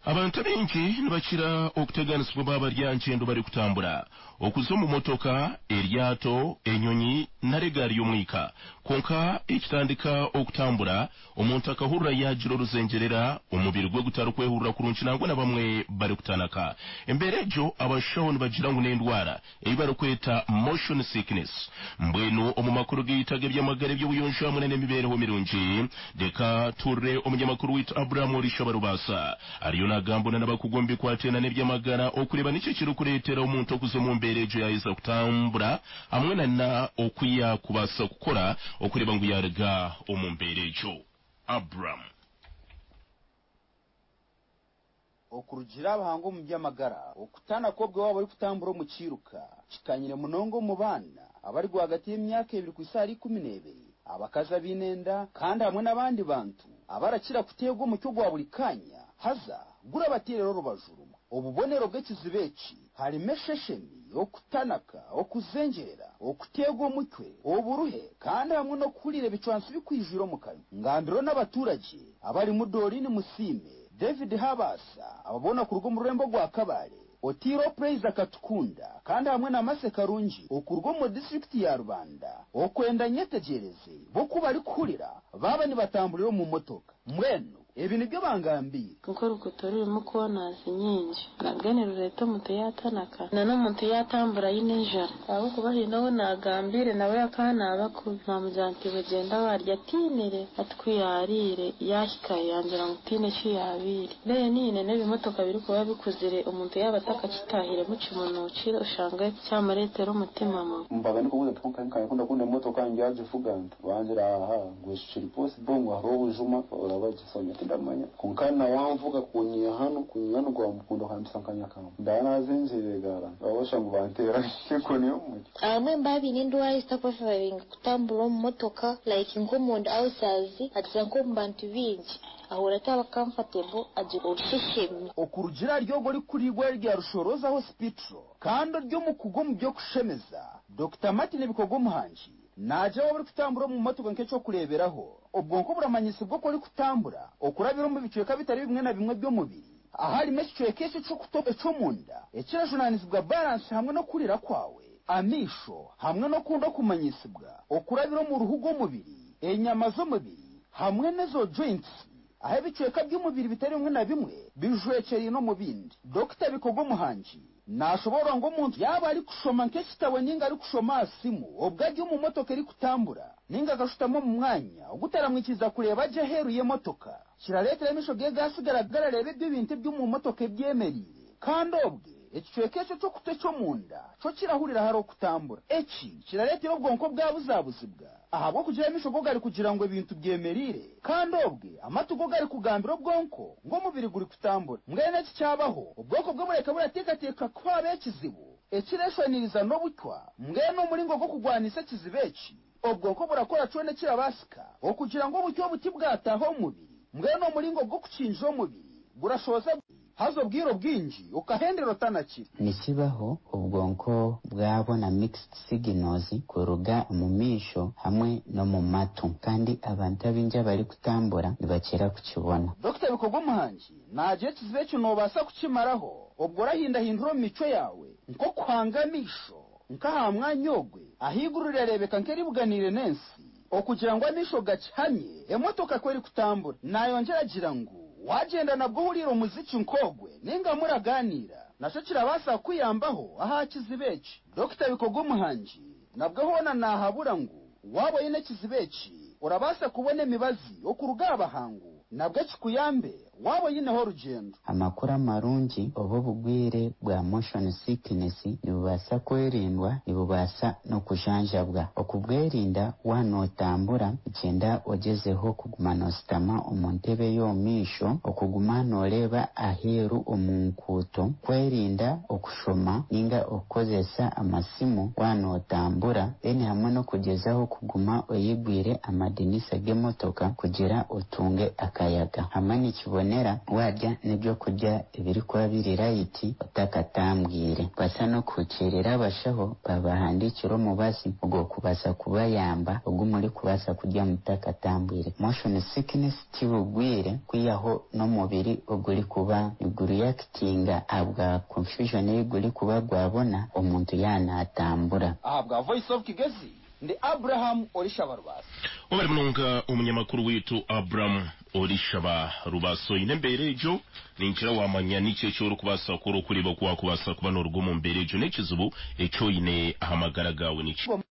Abantu abaingi nibakira okuteganisibwa baaba bari aha ngyendo barikutambura, okuza omu motoka, eryato, enyonyi nari egaari y'omwika. Kwonka ekitandika okutambura, omuntu akahurira yaagira oruzengyerera, omubiri gwe gutarikwehurira kurungi nangwa na bamwe barikutanaka. Embeera egyo abashaho nibagira ngu n'endwara ei barikweta Motion Sickness. Mbwenu omu makuru gaitu ag'eby'amagara, eby'obuyonjo hamwe na n'emibeereho mirungi, reka tuhurire omunyamakuru waitu Abraham Orishaba Rubaasa ariyo nagambona n'abakugu omu bikwatiraine n'eby'amagara okureeba niki ekirikureetera omuntu okuza omu mbeera egyo yaaheza kutambura hamwe na na oku yaakubaasa kukora okureeba ngu yaaruga omu mbeera egyo. Abraham. Okurugiirira abahangu omu by'amagara, okutanaka obwe waaba orikutambura omu kiiruka kikanyire munonga omu baana abari rwagati y'emyaka ebiri kuhitsya ahari 12, abakazi abaine enda kandi hamwe n'abandi bantu abarakira kuteegwa omutwe gwa buri kaanya haza gurabateerera orubaju rumwe. Obubonero bw'ekizibu eki harimu esheshemi, okutanaka, okuzengyerera, okuteegwa omutwe, oburuhe kandi hamwe n'okuhurira ebicwansi bikwijwire omu kanwa. Ngambirweho n'abaturagye abarimu Doreen Musiime, David Habaasa aba boona kuruga omu rurembo orwa Kabale, Otiiro Praise Akatukunda kandi hamwe na Mercy Karungi okuruga omu disiturikiti ya Rubanda okwenda nyetegyereze bo ku barikuhurira baaba nibatamburira omu motoka. Mbwenu ebi nibyo bangambiire. Nk'oruguuto orurimu corners nyingi nabwe nirureeta omuntu yaatanaka. Na n'omuntu yaatambura aine enjara ahabw'okuba haine ou naagambiire nawe akaanaaba kubi naamugira nti iwe gyenda waarya atiinire hati ku yaariire yaahikayo yangira ngu tihaine eki yaabaire then n'ebimotoka birikuba bikuzire omuntu yaaba atakakitaahiremu kimunuukire oshange kyamureetera omutima mubi. Mbaga ndikubuuza nti kwonka nka kundakunda emotoka ndyagivuga nta? Bangira aha ngu ekyo kiri possible ngu hariho obujuma oraba gye so nyowe tindamanya kwonka na wanvuga kunyiha hanu kunyiha hanu gwamukunda okampisa nka Nyakamba ndaba nazengyerire gara orashusha ngu banteera enkoni y'omu mutwe. Abamwe nibaba baine endwara ezitarikubafevaringa kutambura omu motoka like nk'omunda ulcers akiza nk'omu bantu baingi ahurira ataba comfortable agira orusheshemi. Okurugiirira ahari ogwo orikukurira eirwariro rya Rushoroza Hospital kandi ori omukugu omu by'okushemeza, Dokita Martin Bikogo Muhangi naagira waaba orikutambura omu motoka nk'eky'okureeberaho, obwonko buramanyisibwa oku orikutambura okurabira omu bicweka bitari bimwe na bimwe by'omubiri aharimu ekicweka ekyo eky'okutu eky'omunda ekirajunaanizibwa baransi hamwe n'okuhurira kwawe, amaisho hamwe n'okundi okumanyisibwa okurabira omu ruhu rw'omubiri, enyama z'omubiri hamwe n'ezo joints ahu ebicweka by'omubiri bitari bimwe na bimwe bijwekyeraine omu bindi. Dokita Bikogo Muhangi naashoboorora ngu omuntu yaaba arikushoma nk'ekitabo ninga arikushoma aha simu obwo ari omu motoka erikutambura ninga akashutama omu mwanya ogutaramwikiriza kureeba gye aheeru y'emotoka kirareetera amaisho ge gaasigara garareeba ebyo bintu eby'omu motoka ebyemereire kandi obwe ekicweka ekyo ky'okutu eky'omunda kyo kirahurira hariho okutambura. Eki kirareetera obwonko bwabuzabuzibwa ahabw'okugira amaisho go garikugira ngu ebintu byemereire kandi obwe amatu go garikugambira obwonko ngu omubiri gurikutambura. Mbwenu eki kyabaho, obwonko bwe bureka burateekateeka ku haaba ekizibu ekireeshwaniriza n'obucwa. Mbwenu omuringo gw'okugwanisa ekizibu eki, obwonko burakora kyona ekirabaasika okugira ngu obucwa obu tibwataaha omu mubiri. Mbwenu omuringo gw'okukingira omubiri gurashohoza haza obwire obwingi okahendera otanakire. Nikibaho obwonko bwabona mixed signals kuruga omu maisho hamwe n'omu matu kandi abantu abaingi abarikutambura nibakira kukibona. Dokita Bikogo Muhangi naagira ekizibu eki noobaasa kukimaraho obwo orahindahindura omu micwe yaawe nk'okuhanga amaisho nk'aha mwanya ogwe ahaiguru rirareebeka nk'eribuganiire n'ensi okugira ngu amaisho gakihamye emotoka ku erikutambura. Nayongyera agira ngu wagyenda nabwo ohuriire omuziki nk'ogwe ninga muragaaniira nakyo kirabaasa kukuyambaho aha kizibu eki. Dokita Bikogo Muhangi nabwo hoona naahabura ngu waaba oine ekizibu eki orabaasa kubona emibazi okuruga aha bahangu nabwo kikuyambe waaba oineho orugyendo. Amakuru amarungi, obu obugwire bwa motion sickness nibubaasa kwerindwa, nibubaasa n'okujanjabwa. Okubwerinda waaba nootambura, nikyenda ogyezeho kuguma nooshutama omu ntebe ey'omu maisho, okuguma nooreeba aheeru omu nkuuto, kwerinda okushoma ninga okukozesa amasimu waaba nootambura then hamwe n'okugyezaho kuguma oyigwire amadinisa g'emotoka kugira otunge akayaga. Hamwe nikiboneka. nibubonera warya n'ebyokurya ebirikuba biri light otakatambwire. Baasa n'okuhukiirira abashaho babahandiikira omubazi ogw'okubaasa kubayamba ogu murikubaasa kurya mutakatambwire. Motion sickness ti bugwire kwihaho n'omubiri ogurikuba nigureactinga ahabwa confusion ei gurikuba gwabona omuntu yaanatambura. Ahabwa Voice of Kigezi, ndi Abraham Orishaba Rubaso. Webare munonga omunyamakuru waitu Abraham Orishaba Rubaso. Oine embeera egyo, ningira wamanya niki eki orikubaasa kukora okureeba oku wakubaasa kuba noruga omu mbeera egyo n'ekizibu eki oine aha magara gaawe. Niki?